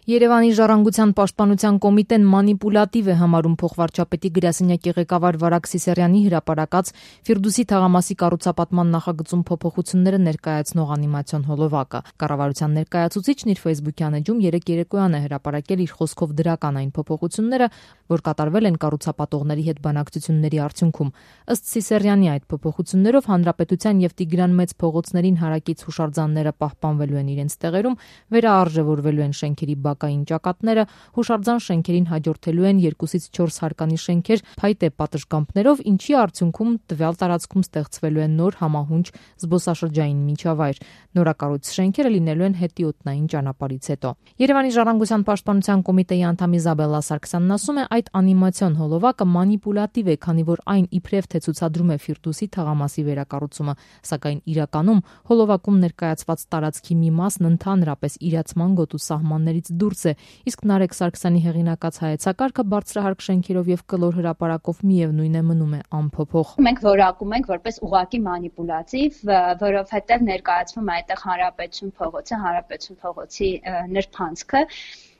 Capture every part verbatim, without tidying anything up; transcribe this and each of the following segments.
Երևանի ժառանգության պաշտպանության կոմիտեն մանիպուլատիվ է համարում փոխվարչապետի գրասենյակի ղեկավար Վարակ Սիսարյանի հրապարակած Ֆիրդուսի թաղամասի կառուցապատման նախագծում փոփոխությունները ներկայացնող անիմացիոն հոլովակը։ Կառավարության ներկայացուցիչն իր ֆեյսբուքյան էջում երեկ երեկոյան է հրապարակել իր խոսքով դրական այն փոփոխությունները, որ կատարվել են կառուցապատողների հետ բանակցությունների արդյունքում։ Ըստ Սիսարյանի, այդ փոփոխություններով Հանրապետության եւ Տիգրան Մեծ փողոցներին հարակից հուշարձանները պահպանվելու են իրենց տեղերում, վերաարժևորվելու են շենքերի բակային ճակատները, հուշարձան շենքերին հաջորդելու են երկուսից չորս հարկանի շենքեր փայտե պատշգամբներով, ինչի արդյունքում տվյալ տարածքում ստեղծվելու են նոր համահունչ զբոսաշրջային միջավայր։ Նորակառույց շենքերը լինելու են հետիոտնային ճանապարհից հետո։ Երևանի ժառանգության պաշտպանության կոմիտեի անդամ Իզաբելլա Սարգսյանն ասում է, այդ անիմացիոն հոլովակը մանիպուլատիվ է, քանի որ այն իբրև թե ցուցադրում է Ֆիրդուսի թաղամասի վերակառուցումը, սակայն իրականում հոլովակում ներկայացված տարածքի մի մասն ընդհանրապես իրացման գոտու սահմաններից դուրս է, իսկ Նարեկ Սարգսյանի հեղինակած հայեցակարգը բարձրահարկ շենքերով եւ կլոր հրապարակով միևնույն է մնում է անփոփոխ։ Մենք որակում ենք որպես ուղղակի մանիպուլատիվ, որովհետեւ ներկայացվում է այդտեղ Հանրապետություն փողոցը, Հանրապետություն փողոցի նրբանցքը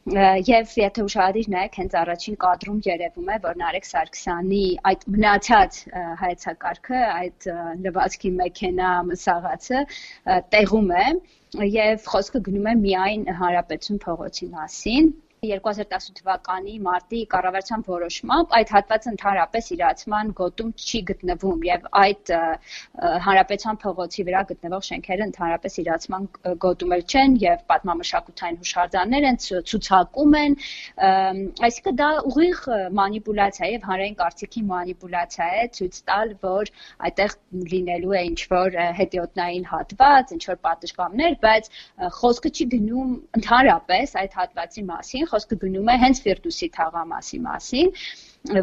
Եվ եթե ուշադիր նայեք, հենց առաջին կադրում երևում է, որ Նարեկ Սարգսյանի այդ մնացած հայեցակարգը, այդ լվացքի մեքենա մսաղացը տեղում է եւ խոսքը գնում է միայն Հանրապետություն փողոցի մասին։ երկու հազար տասնութ թվականի մարտի կառավարության որոշմամբ այդ հատվածը ընդհանրապես իրացման գոտում չի գտնվում եւ այդ Հանրապետության փողոցի վրա գտնվող շենքերը ընդհանրապես իրացման գոտում էլ չեն եւ պատմամշակութային հուշարձաններ են, ցուցակում են, այսինքն դա ուղիղ մանիպուլյացիա եւ հանրային կարծիքի մանիպուլյացիա է ցույց տալ, որ այդտեղ լինելու է ինչ-որ հետիոտնային հատված, ինչ-որ պատշգամբներ, բայց խոսքը չի գնում ընդհանրապես այդ հատվածի մասին, խոսքը գնում է հենց Ֆիրդուսի թաղամասի մասին,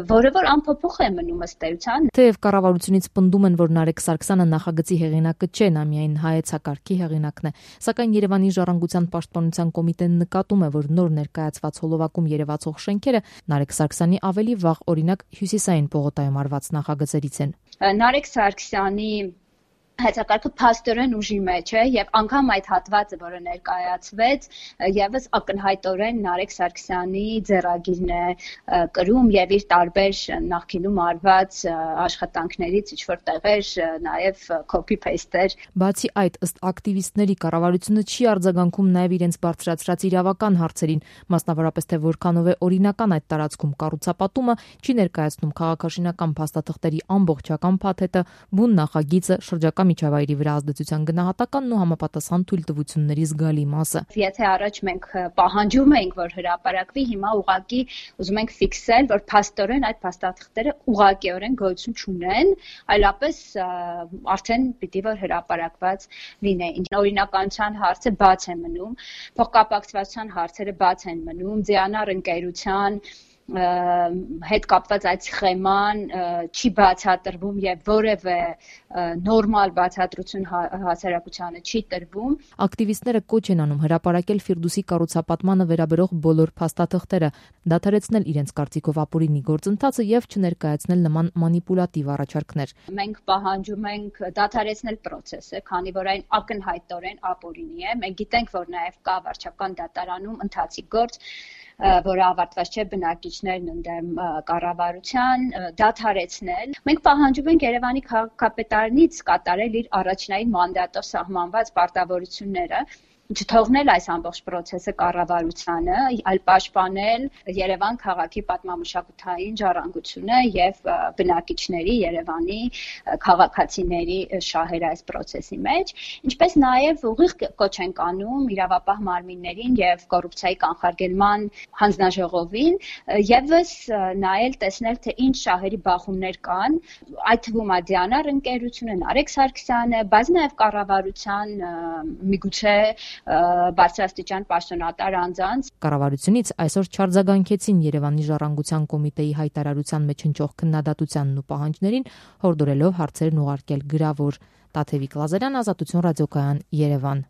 որը որ անփոփոխ է մնում ըստ էության։ Թեև կառավարությունից պնդում են, որ Նարեկ Սարգսյանը նախագծի հեղինակը չէ, նա միայն հայեցակարգի հեղինակն է, սակայն Երևանի ժառանգության պաշտպանության կոմիտեն նկատում է, որ նոր ներկայացված հոլովակում երևացող շենքերը Նարեկ Սարգսյանի ավելի վաղ, օրինակ Հյուսիսային պողոտայում արված նախագծերից են։ Նարեկ Սարգսյանի հայեցակարգը փաստորեն ուժի մեջ է եւ անգամ այդ հատվածը, որը ներկայացվեց, եւս ակնհայտորեն Նարեկ Սարգսյանի ձեռագիրն է կրում եւ իր տարբեր նախկինում արված աշխատանքներից ինչ-որ տեղեր նաեւ copy-paste-էր։ Բացի այդ, ըստ ակտիվիստների, կառավարությունը չի արձագանքում նաեւ իրենց բարձրացրած իրավական հարցերին, մասնավորապես թե որքանով է օրինական այդ տարածքում կառուցապատումը, չի ներկայացնում քաղաքաշինական փաստաթղթերի ամբողջական փաթեթը, բուն նախագիծը, շրջակա միջավայրի վրա ազդեցության գնահատականն ու համապատասխան թույլտվությունների զգալի մասը։ Եթե առաջ մենք պահանջում էինք, որ հրապարակվի, հիմա ուղղակի ուզում ենք ֆիքսել, որ փաստորեն այդ փաստաթղթերը ուղղակիորեն գոյություն չունեն, այլապես արդեն պիտի որ հրապարակված լինեին։ Օրինականության հարցը բաց է մնում, փոխկապակցվածության հարցերը բաց են մնում, ձիանար ընկերության հետ կապված այդ սխեման չի բացատրվում եւ որևէ նորմալ բացատրություն հասարակությանը չի տրվում։ Ակտիվիստները կոչ են անում հրապարակել Ֆիրդուսի կառուցապատմանը վերաբերող բոլոր փաստաթղթերը, դադարեցնել իրենց կարծիքով ապօրինի գործընթացը եւ չներկայացնել նման մանիպուլատիվ առաջարկներ։ Մենք պահանջում ենք դադարեցնել process-ը, քանի որ այն ակնհայտորեն ապօրինի է։ Մենք գիտենք, որ նաեւ կա վարչական դատարանում ընթացիկ գործ, որը ավարտված չէ, բնակիչներն ընդդեմ կառավարության, դադարեցնել։ Մենք պահանջում ենք Երևանի քաղաքապետարանից կատարել իր առաջնային մանդատով սահմանված պարտավորությունները, չթողնել այս ամբողջ process-ը կառավարությանը, այլ պաշտպանել Երևան քաղաքի պատմամշակութային ժառանգությունը եւ բնակիչների, Երևանի քաղաքացիների շահերը այս process-ի մեջ, ինչպես նաեւ ուղիղ կոչ ենք անում իրավապահ մարմիններին եւ կոռուպցիայի կանխարգելման հանձնաժողովին եւս նայել տեսնել թե ինչ շահերի բախումներ կան, այդ թվում է Դիանար ընկերությունը, Նարեկ Սարգսյանը, բայց նաեւ կառավարության միգուցե բարձրաստիճան պաշտոնատար անձանց։ Կառավարությունից այսօր չարձագանքեցին Երևանի ժառանգության կոմիտեի հայտարարության մեջ հնչող քննադատությանն ու պահանջներին, հորդորելով հարցերն ուղարկել գրավոր։ Տաթևիկ Լազարյան, Ազատություն ռադիոկայան, Երևան։